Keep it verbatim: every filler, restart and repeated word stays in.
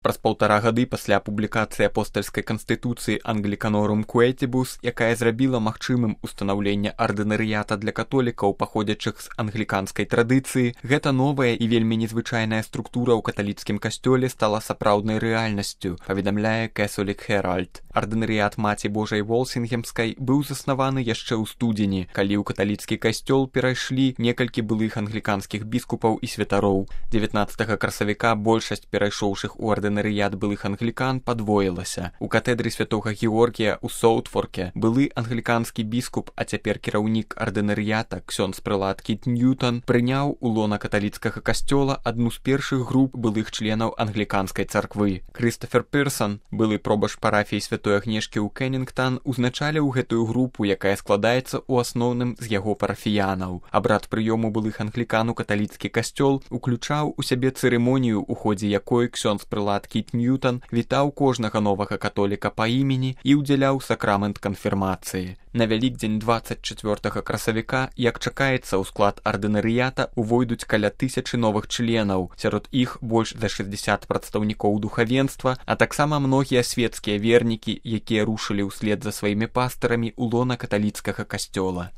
Праз паўтара гады пасля публікацыі апостальскай канстытуцыі Anglicaноrum Quaetibus, якая зрабіла магчымым устанаўленне ардынарыята для католікаў, паходзячых з англіканскай традыцыі, гэта новая і вельмі незвычайная структура ў каталіцкім касцёле стала сапраўднай рэальнасцю, паведамляе Catholic Herald. Ардынарыят Маці Божай Волсінгемскай быў заснаваны яшчэ ў студзені, калі ў каталіцкі касцёл перайшлі некалькі былых англіканскіх біскупаў і святароў. дзевятнаццатага красавіка большасць перайшоўшых у ардынарыят былых англікан падвоілася. У катэдры святога Георгія ў Соутфорке былы англіканскі біскуп, а цяпер кіраўнік ардынарыята ксёндз прэлат Кіт Ньютон прыняў у лона каталіцкага касцёла адну з першых груп былых членаў англіканскай царквы. Крыстафер Пірсон, былы пробашч парафіі святой Агнешкі ў Кеннінгтан, узначаліў гэтую групу, якая складаецца ў асноўным з яго парафіянаў. Абрад прыёму былых англікан у каталіцкі касцёл уключаў у сябе цырымонію, у ходзе якой ксёндз прэлат Кіт Ньютон вітаў кожнага новага католіка па імені і ўдзяляў сакрамент канфірмацыі. На Вялікдзень дваццаць чацвёртага красавіка, як чакаецца, у склад ардынарыята увойдуць каля тысячы новых членаў, сярод іх больш за шэсцьдзесят прадстаўнікоў духавенства, а таксама многія свецкія вернікі, якія рушылі ўслед за сваімі пастарамі ў лона каталіцкага касцёла.